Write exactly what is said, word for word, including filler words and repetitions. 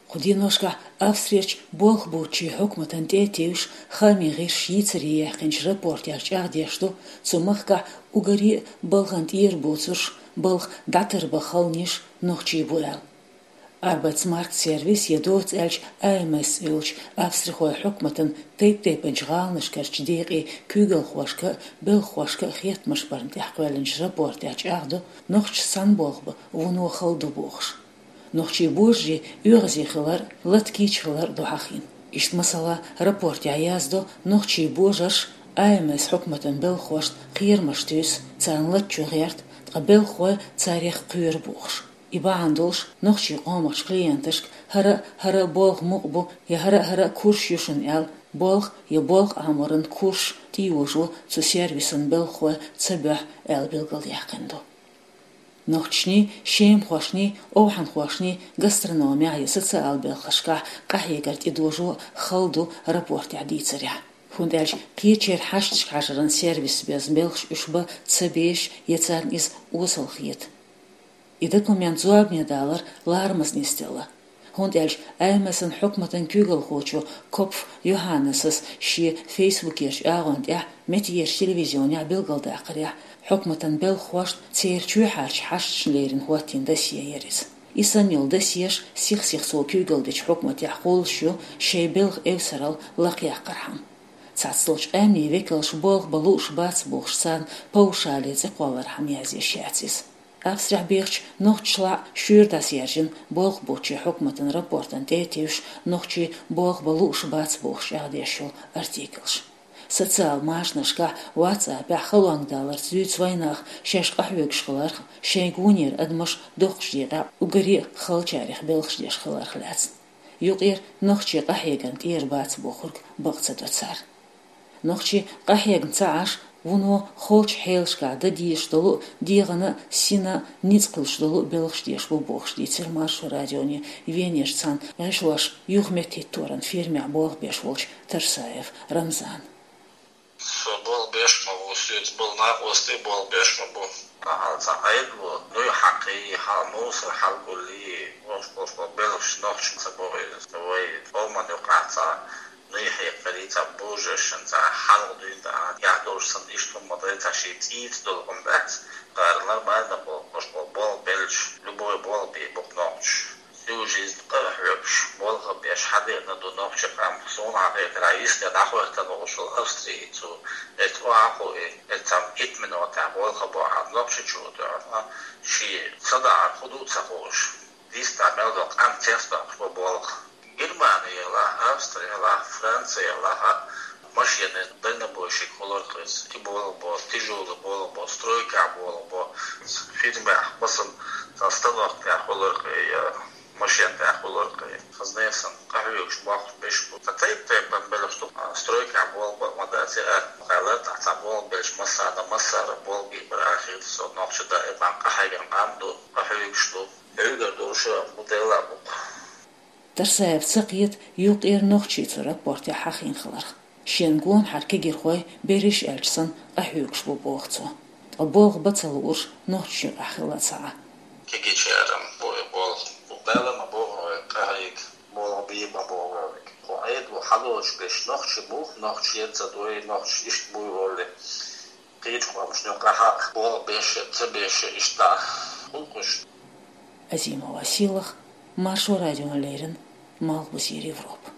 Кху деношкахь Австрерчу болх боцчийн хьукматана тӀе а тевжаш, хаамийн гӀирсаша йийцаре яьккхинчу рапортехь чӀагӀдеш ду, цу махкахь уггаре а балхана тӀера боцурш, балха дӀатарбан халонаш нохчий бу аьлла. Arbeitsmarkt-Service я доцца аьлча А М С йолчу Австрихойн хьукматан тайп-тайпанчу гӀаланашкарчу декъийн куьйгалхошка а, белхахошка а хеттамаш барна тӀехь кхоьллинчу рапортехь чӀагӀдо, нохчашца цхьаьна болх бан вуно хала ду бохуш. Нохчий божарий оьгӀазе хилар а, лата кийча хилар а ду хьахийна. Иштта, масала, рапортехь яздо, нохчий божарш А М С хьукматан белхахошна кхерамаш туьйсу, царна лата чу гӀерта, ткъа белхахой царех кхоьру бохуш. И бахьана долуш, нохчийн къомахчу клиенташка хӀара а, хӀара а болх мукъа бу я хӀара а, хӀара а курс ю шуна аьлла, болх я болх Ӏаморан курс тӀейожо цу сервисан белхахой ца боьху аьлла билгалдаьккхина ду. Нохчашний, шемахошний, овхӀанхошний гастрономехь я социал белхашкахь къахьегар тӀедожо хала ду рапортехь дийцарехь. ХӀунда аьлча кхечеран хьашташка хьажаран сервисца беза белхаш уьш бан ца безаш я царна иза осал хета. И документ зорбане далар ларамаза нисделла. ХӀунда аьлча А М С-ан хьукматан куьйгалхочо Копф Йоханнесас шен фейсбукерчу агӀонна тӀехь меттигерчу телевизионехь билгалдаккхарехь, хьукматан белхахошна церан чоьхьарчу хьашташна лерина хӀоттийна досье яра иза. И санна йолу досьеш сих-сиха цо куьйгалла дечу хьукматехь кхуллуш ю, шайн белхан эвсаралла лакхаяккхархьама. Цхьаццалчу къаьмнийн векалша болх бан лууш бац бохуш, царна паушале цӀе кхоллархьама язъеш яц иза. Австрехь бехачу нохчашлахь шуьйра дӀасаьржина болх боцчийн хьукматан рапортана тӀе а тевжаш, нохчий болх бан лууш бац бохуш чӀагӀдеш йолу артиклаш. Социал машанашкахь, WhatsApp-ехь халонга даларца дуьйцу вайнах шаьш къахьоьгуш хиларх, шайн гонера адамаш доккхачу декъехь уггаре а халачарех белхаш деш хиларх лаьцна. Юкъера нохчий къахьегарна тӀера бац бохург бакъ ца до цара. Нохчий къахьегна ца Ӏаш, вуно холчу хьелашкахь дан дезаш долу а, дегӀана а, сина а ницкъ хуьлуш долу а белхаш деш бу бохуш дийцира Маршо радионе Венерчу цхьана гӀишлош юхаметтахӀитторан фирмехь болх беш волчу Тарсаев Рамзана. Со болх беш ма ву, соьца болу накъостий болх беш ма бу. Ахьа цхьа айдало, нуй хьакхий, хьал мусор хьалгуллий, вовш-вовш болу белхаш нохчашца бохуьйту. Вай къоман юкъахь цхьа нуй хьекхарий, цхьа божаршна, цхьа хьалха дуьйна тӀехь, яхь долуш санна, иштта хӀума ма дай, цхьа шен цӀийца долу хӀума дац, кхара нормально болу, вовш болу болх беллачу, любой болх бийр бу-кх нохчаша. Всю жизнь къа а хьоьгуш, болх а беш, хьадеана ду нохчийн къам. Суна хьахетарехь, йисте дӀахӀоьттина волуш волу Австрийцо, эцу охьа а хууш, эцу цхьана итт минотехь болх а бохьа, Нохчийчу а тоьхна, шен ца дахьар хӀун ду а ца хууш, дистахь мел долу къам цецдоккхуш бу болх. Германи елахь, Австри елахь, Франци елахь, машенийн дальнобойщик хуьлура-кх иза. И болх бо, тяжёлый болх бо, стройкахь болх бо, фирмехь, масала, сан станок тӀехь хуьлура-кх, я машен тӀехь хуьлура-кх. Хаза нехан санна къахьоьгуш, бохкуш берш бу. Ткъа тайп-тайпана белхаш ду, а, стройкахь болх бан а ма дац, я аьлла, кхаллар тӀехь цхьа болх беллачу массарна, массара болх бийр бара аьлла хета со. Нохчий даиман къахьегна къам ду, къахьоьгуш ду. Уггар долуш а бу, делахь а бу-кх. Тарсаевс ца кхета юкъера нохчий цу рапортехь хьахийна хиларх. Шен гонахьара кегийрхой, берриш аьлча санна, къахьоьгуш бу боху цо. Ткъа болх бан ца луурш нохчашна юкъахь хилла ца Ӏа. Кегийчара бу и болх. Дала ма боху вай къахьега, болх бийр ма боху вай. Кху Ӏедало хьалоцуш берш нохчий бу, нохчий ца дой, нохчий иштта буй олий. Кхечу къомашна юкъахь болх беш а, ца беш а иштта гӀуллакхаш. Азимова Сийлаха, Маршо радиона леррина, Малхбузера Европа.